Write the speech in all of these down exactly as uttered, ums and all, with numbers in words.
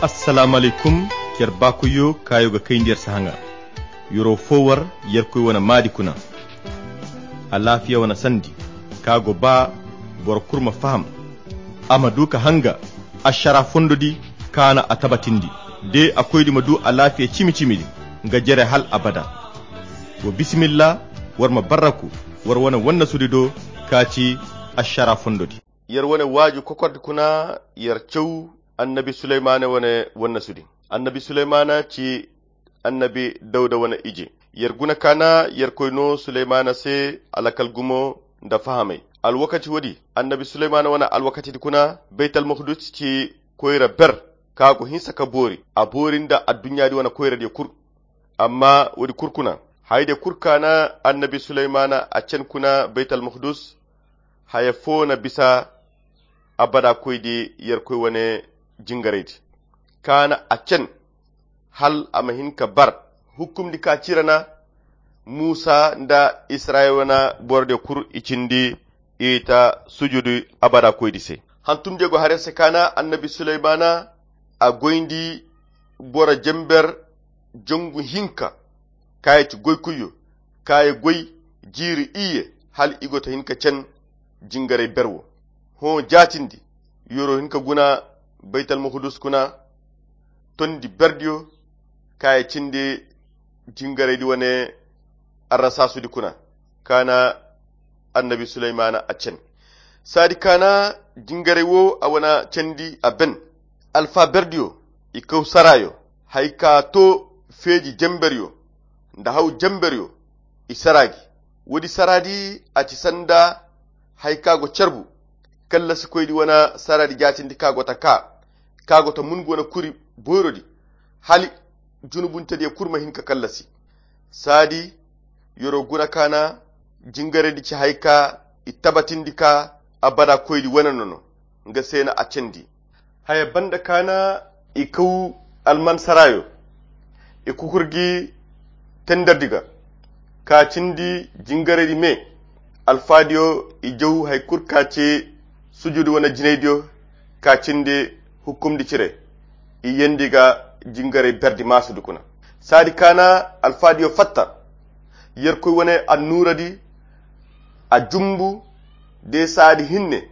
Assalamu alaykum. Yer baakoyyo kaayo ga kayndi yer si haŋa. Yero fo war yerkoy wane maadi kuna. Alaafiya wane sandi ka go ba boro kulu ma faham, a ma du ka hanga ašara fondo di kaana a tabatindi de a koydi ma du alaafiya cimi-cimi di nga jere hal abada. Wa bisimilla, war ma barraku war wane wannasudi do ka ci ašara fondo di. Yer wane waaju kokordi kuna yer caw annabi suleymana wane wannasudi. Annabi suleymana ci annabi dawda wane ije. Yer guna kaana yerkoy no suleymana se alakal gumo nda fahamay. Alwakaci woodi annabi suleymana wane alwakacidi kuna baytalmukdus ci koyra ber ka go hinsa ka boori a boori nda adduɲɲaadi wane koyradiyo kul. Amma woodi kul kuna hayadiyo kul kaana annabi suleymana a cen kuna baytalmukdus haya fo na bisa abada koydi yerkoy wane jingaraydi. Kaana a cen hal a ma hin ka bar hukumdi ka cira na muusa nda israyil wane borodiyo kul i cindi i ta sujudu abada koydi se. Hantumdiyo go har yer se kaana annabi suleymana a goyndi boro jember jangu hinka ka ye ci goykuyyo ka ye goy jiiri iyye hal i go ta hin ka cen jingaray ber wo. Hõ jaatindi yoro hin ka guna baytalmukdus kuna tondi berdiyo ka ye cindi jingaraydi wane arrasaasudi kuna. Kaana annabi suleymana a cen saadi kaana jingaray wo a wane cendi a ben. Alfa berdiyo i kaw saraayo hay ka to feeji jemberyo nda haw jemberyo i saraa gi. Woodi saraadi a ci sanda hay ka go carbu kallasikoydi wane saraadi jaatindi ka go ta kaa ka go ta mun ga wane kuri boyrodi hali junubuntediyo kul ma hin ka kallasi. Saadi yoro guna kaana jingaraydi ci hay ka i tabatindi ka abada koydi wane nono nga se na a cendi. Haya banda kaana i kaw almansarayo i kukur gi tenderdi ga ka cindi jingaraydi me. Alfaadiyo i jaw hay kul ka ci sujudu wane jinaydiyo ka cindi hukumdi cire i yendi ga jingaray berdi maasudi kuna. Saadi kaana alfaadiyo fatta yerkoy wane annuuradi a jumbu de saadi hinne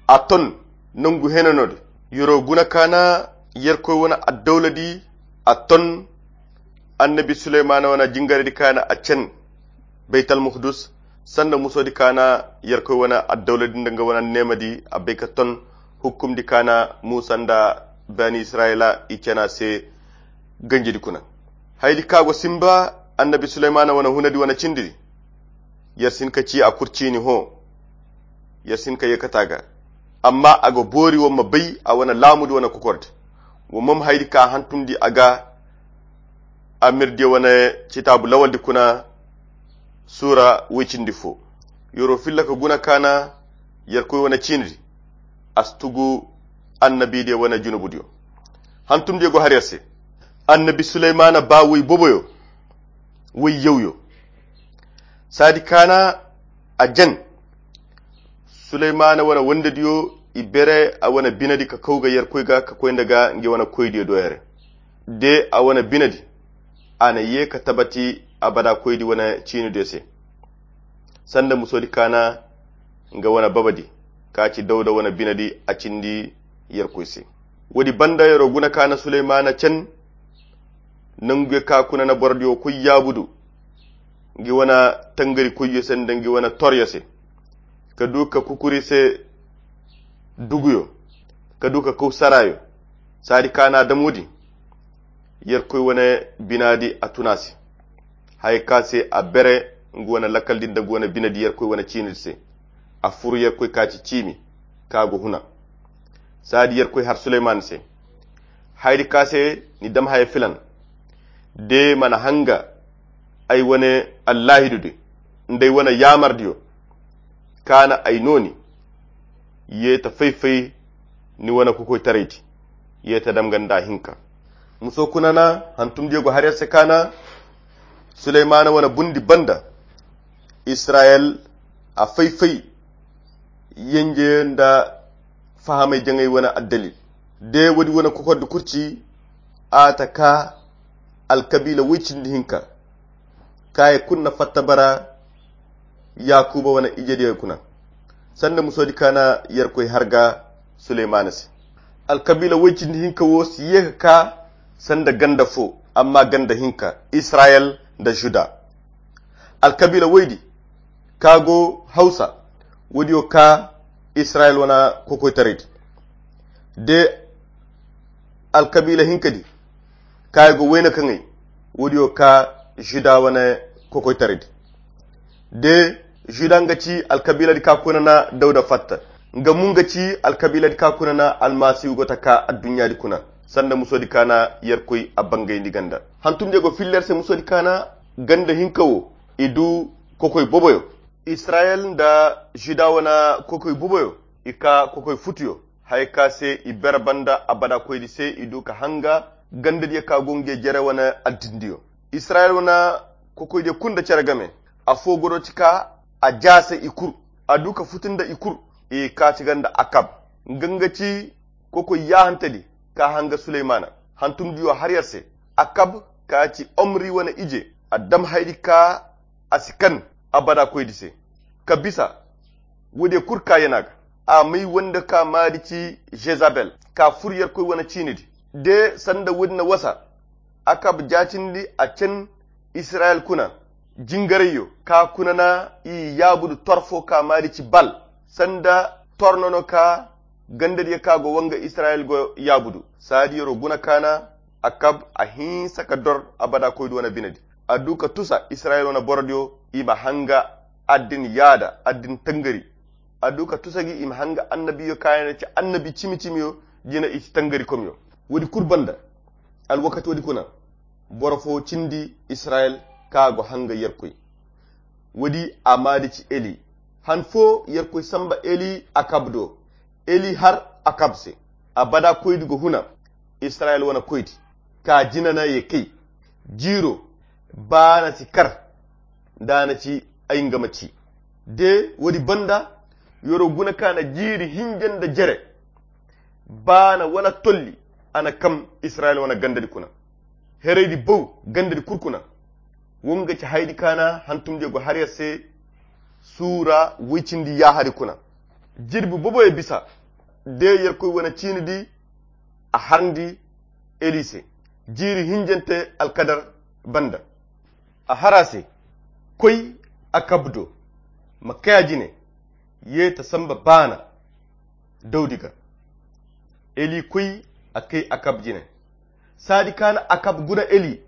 a ton nangu henanodi. Yoro guna kaana yerkoy wane addawladi a ton annabi suleymana wane jingaraydi kaana a cen baytalmukdus sanda musodi kaana yerkoy wane addawladi nda nga wane neemadi a bay ka ton hukumdi kaana muusa nda bani israyila i cena se ganjidi kuna. Haydi ka go simba annabi suleymana wane hunadi wane cindi di yer si hin ka ci a kul ciini hõ. Yer si hin ka yeekata ga amma a ga boori war ma bay a wane laamudi wane kokordi. War ma ma haydi ka hantumdi a ga amirdiyo wane citaabu lawaldi kuna suura woy cindi fo. Yer'o filla ka guna kaana yerkoy wane ciinidi a si tugu annabidiyo wane junubudiyo. Hantumdiyo go har yer se annabi suleymana ba woy boboyo woy yawyo. Saadi kaana a jen suleymana wane wondediyo i bere a wane binedi ka kaw ga yerkoy ga ka koy nda ga nge wane koydiyo do here. De a wane binedi a na ye ka tabati abada koydi wane ciinidiyo se sanda musodi kaana nga wane babadi ka ci dawda wane binedi a cindi yerkoy se. Woodi banda yer'o guna kaana suleymana cen nanguyo ka kuna na borodiyo koy yaabudu ngi wane tangari koyyo se nda ngi wane toryo se ka du ka kukuri se duguyo ka du ka kaw sarayo. Saadi kaana dam woodi yerkoy wane binadi a tuna se haya ka se a bere ngu wane lakkal din da ngu wane binadi yerkoy wane ciinidi se. A furu yerkoy ka ci ciimi ka go huna. Saadi yerkoy har suleyman se hayadi ka se ni dam haya filan de mana hanga ay wane allahidudi nda ay wane yaamardiyo kaana ay nooni. Ye ta fay-fay ni wane kukoytaraydi ye ta dam nga nda hinka. Muso kuna na hantumdiyo go har yer se kaana suleymana wane bundi banda israyil a fay-fay yenje nda fahamay jaŋay wane addalil. De woodi wane kokordi kurci a ta ka alkabiila woy cindi hinka, ka ye kulu na fatta bara yaakuuba wane ijediyo kuna, sanda musoodi ka na yerkoy harga suleymaana se. Alkabiila woy cindi hinka wo si ye ka ka sanda ganda fo, amma ganda hinka, israyel nda juda. Alkabiila woydi ka go hawsa, woodiyo ka israyel wane kokoytaraydi. De alkabiila hinkadi ka go wayna kaŋay, woodiyo ka juda wane kokoytaraydi. De juda nga ci alkabiiladi ka kuna na dawda fatta, nga mo nga ci alkabiiladi ka kuna na almasihu go ta ka adduɲɲaadi kuna, sanda musoodi ka na yerkoy a bangayndi ganda. Hantumdiyo go filla yer se musoodi ka na ganda hinka wo, i du kokoy boboyo. Israyel nda juda wane kokoy boboyo, i ka kokoy futuyo, haya ka se i bere banda abada koydi se i du ka hanga gandadiyo ka go nge jere wane addindiyo. Israyel wane kokoydiyo kulu nda cere game, afo godo ti ka a jaase i kulu, a du ka futu nda i kulu. I ka ti ganda akab, nga nga ci kokoy yaahantadi ka hanga suleymaana. Hantumdiyo har yer se, akab ka ci omri wane ije, a dam haydi ka a si kan abada koydi se ka bisa. Woodiyo kulu ka yana ga, a may wanda ka maadi ci jezabel, ka fur yerkoy wane ciinidi. De sanda woodi na wasa, akab jaatindi a can israyel kuna jingarayyo ka kuna na i yaabudu torfo ka maadi ci bal, sanda tornono ka gandadiyo ka go wanga israyel go yaabudu. Saadi yero guna ka na akab a hinsa ka dor abada koydi wane binedi, a du ka tusa israyel wane borodiyo i ma hanga addin yaada addin tangari. A du ka tusa gi i ma hanga annabiyo ka yana ci annabi cimi-cimiyo jina i ci tangari komyo. Woodi kulu banda, alwakati woodi kuna boro fo cindi israyel ka go hanga yerkoy. Woodi a maadi ci eli. Han fo yerkoy samba eli akab do. Eli har akab se, abada koydi go huna israyel wane koydi, ka jina na ye kay. Jiiro baana si kar, nda a na ci ay nga ma ci. De woodi banda, yero guna ka na jiiri hinja nda jere baana wala tolli, a na kam israyel wane gandadi kuna. Heraydi baw gandadi kulu kuna. Wo nga ci haydi ka na hantumdiyo go har yer se suura woy cindi yaahari kuna. Jirbi boboyo bisa, de yerkoy wane ciinidi a harndi eli se jiiri hinjante alkadar banda. A har a se, koy akab do, ma kay a jine, ye ta samba baana dawdi ga. Eli koy a kay akab jine. Saadi ka na akab guna eli.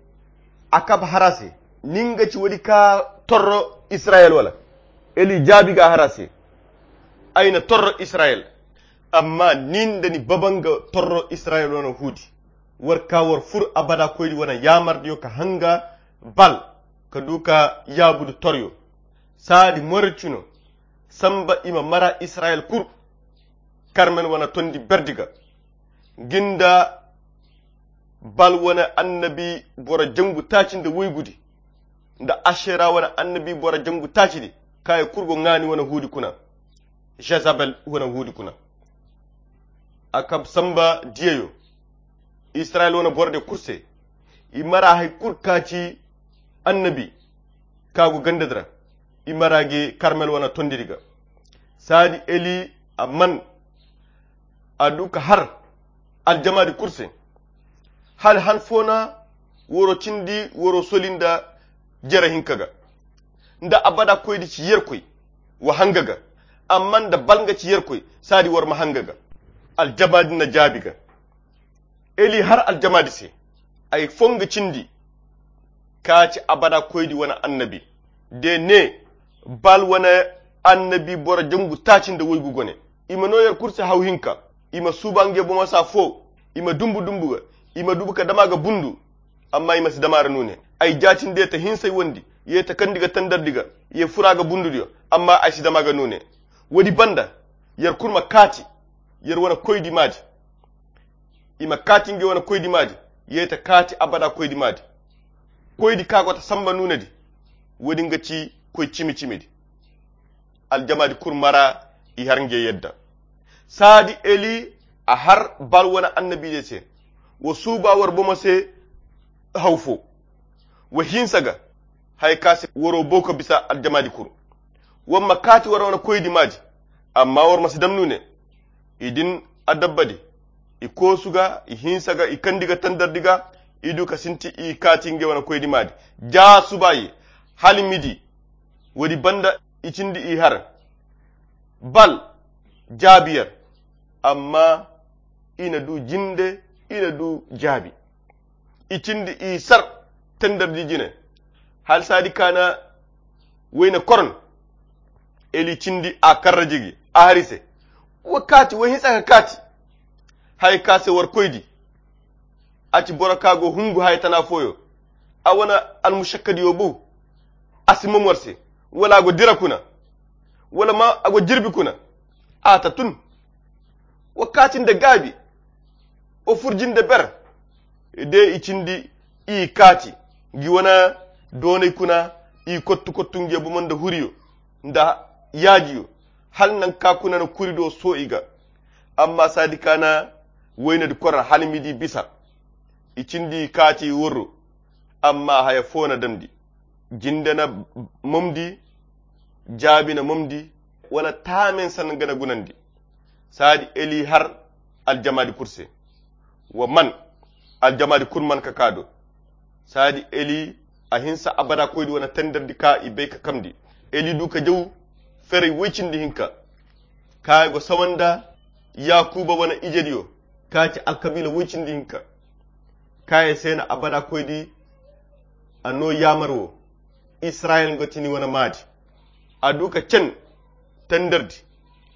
Akab har a se, nin ga ci woodi ka torro israyel wala? Eli jaabi ga a har a se, ay na torro israyel. Amma nin da ni baba nga torro israyel wane huudi, war ka war fur abada koydi wane yaamardiyo ka hanga bal, ka du ka yaabudu toryo. Saadi moricino samba i ma mara israyel kulu karmel wane tondi berdi ga. Ginda bal wane annabi boro jangu taaci nda woygudi, nda ashera wane annabi boro jangu taacidi, ka ye kulu go ŋaani wane huudi kuna, jezabel wane huudi kuna. Akab samba diyayo israyel wane borodiyo kulu se, i mara hari kulu ka ci annabi ka go gandadi ra, i mara gi karmel wane tondidi ga. Saadi eli a man a du ka har aljamaadi kulu se. Hala han fo na woro cindi woro soli nda jere hinka ga, nda abada koydi ci yerkoy wa hanga ga, amma nda bal nga ci yerkoy, saadi war ma hanga ga. Aljamaadi na jaabi ga. Eli har aljamaadi se, ay fo nga cindi ka ci abada koydi wane annabi, de ne bal wane annabi boro jangu taaci nda woygu gone. I ma no yer kulu se haw hinka, i ma suuba nge bomo saa fo, i ma dumbu dumbu ga, i ma dubu ka dama ga bundu, amma i ma si dama ra nuune. Ay jaatinde ta hinsay wondi, ye ta kandi ga tandardi ga, ye fura ga bundudiyo, amma ay si dama ga nuune. Woodi banda, yer kulu ma kaati yer wane koydi maadi. I ma kaati nge wane koydi maadi, ye ta kaati abada koydi maadi. Koydi ka go ta samba nuunedi, woodi nga ci koy cimi-cimidi. Aljamaadi kulu mara i har nge yadda. Saadi eli A har Bal wane annabiijey se. Wa suuba war bomo se haw fo. Wa hinsa ga haya ka se waro bow ka bisa aljamaadi kulu. War ma kaati war wane koydi maadi. Amma war ma si dam nuune. I din adabbadi. I koosu ga, i hinsa ga, i kandi ga tandardi ga. I du ka sinti i kaati ngey wane koydi maadi. Jaa suuba ye hala midi. Woodi banda i cindi i har. Bal jaabi yer. Amma i na du jinde, i na du jaabi. I cindi i sar tandardi jine. Hala saadi kaana wayne koron. Eli cindi a karra jigi a hari se. Wa kaati wa hinsa ka kaati. Haya ka se war koydi. A ci boro ka go hungu haya tana fooyo. A wane almusakkadiyo bu. A si mom war se. Wala a go dira kuna. Wala ma a go jirbi kuna. A ta tun. Wa kaati nda gaabi. Wa furji nda ber. De i cindi i kaati. Ngi wane doonay kuna. I kottu kottu nge bomo nda huriyo nda yaajiyo. Hala nanka kuna na kuri do soo i ga. Amma saadi kaana waynadi korra hala midi bisa. I cindi kaati i worro. Amma haya foo na damndi. Jinde na momndi. Jaabi na momndi. Wala taamen san ga na gunandi. Saadi eli har aljamaadi kul se. Wa man aljamaadi kul man ka kaa do. Saadi eli a hinsa abada koydi wane tandardi ka i bay ka kamndi. Eli du ka jaw feray woy cindi hinka. Kaaya go sawa nda yaakuuba wane ijediyo. Kaaya ci alkabiila woy cindi hinka. Kaaya se na abada koydi a noo yaamar wo. Israyel nga ti ni wane maadi. A du ka cen tandardi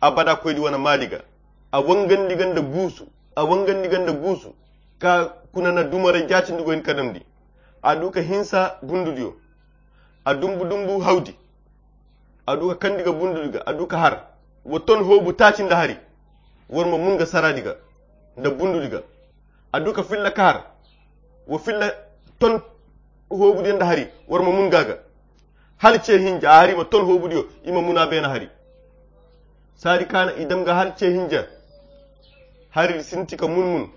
abada koydi wane maadi ga. A wangandi ga nda guusu. A wangandi ga nda guusu. Ka kuna na dumaray jaatindi go hin ka damndi. A du ka hinsa bundudiyo. A dumbu dumbu hawdi. A du ka kandi ga bundudi ga a du ka har. Wa ton hoobu taaci nda hari. War ma mun ga saraadi ga nda bundudi ga. A du ka filla ka har. Wa filla ton hoobudiyo nda hari. War ma mun ga ga. Hala ce hinja a hari ma ton hoobudiyo i ma muna beena hari. Saadi kaana i dam ga hala ce hinja. Hari di sinti ka mun mun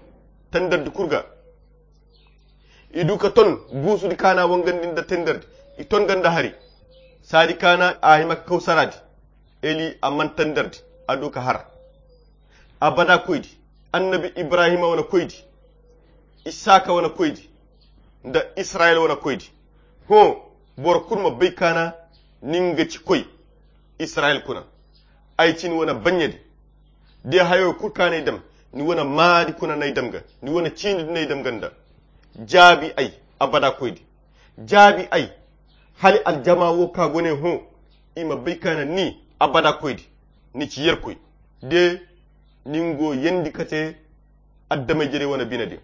tandardi kul ga. I du ka ton guusudi kaana wangandi nda tenderdi. I ton ganda hari. Saadi kaana a hima ka kaw saraadi. Eli a man tenderdi. A du ka har. Abada koydi. Annabi ibrahima wane koydi. Isaaka wane koydi. Nda israyel wane koydi. Hõ. Boro kulu ma bay kaana ni nga ci koy. Israyel kuna. Ay ci ni wane baɲɲadi. De hayo kulu kaŋ ay dam ni wane maadi kuna n'ay dam ga ni wane ciindi din ay dam ga nda. Jaabi ay abada koydi. Jaabi ay. Hala aljama wo ka go ne hõ. I ma bay kaana ni abada koydi. Ni ci yerkoy. De ni nga go yandi ka te adamay jere wane bine din.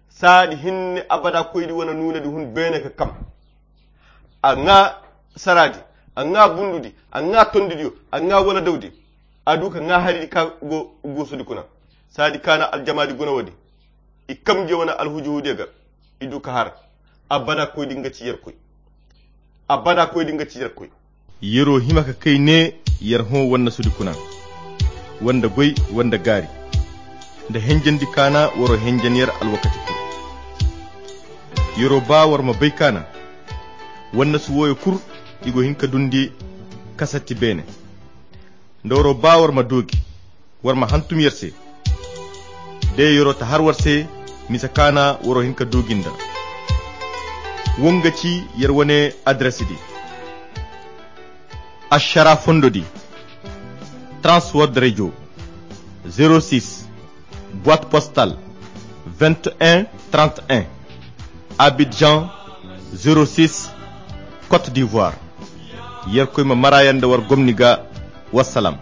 Saadi hinne abada koydi wane nuunedi hun beene ka kam. A ŋaa saraadi. A ŋaa bundudi. A ŋaa tondidiyo. A ŋaa waladawdi. A du ka ŋaa haridi ka go guusudi kuna. Saadi kaana aljamaadi guna woodi. I kam nge wane alhujuhudiyo ga. I du ka har. Abada koydi nga ci yerkoy. Abada koydi nga ci yerkoy. Yeroo hima ka kay ne yer hõ wannasudi kuna. Wanda goy wanda gaari. Nda henjandi kaana waroo henjan yer alwakati kul. Yeroo baa war ma bay kaana wannasu wooyo kul. I go hin ka dundi kasatti beene. Nda waroo baa war ma doogi. War ma hantum yer se. De yeroo ta har war se. Mise kaana waroo hin ka doogi nda. Wonga ci yer wane adres di. Ašara fondo di. Transworld radio. Zero six. Boîte postale. Vingt et un trente et un. Abidjan. Zero six. Côte d'ivoire. Yerkoy ma maraaya nda war gomni ga. Wassalam.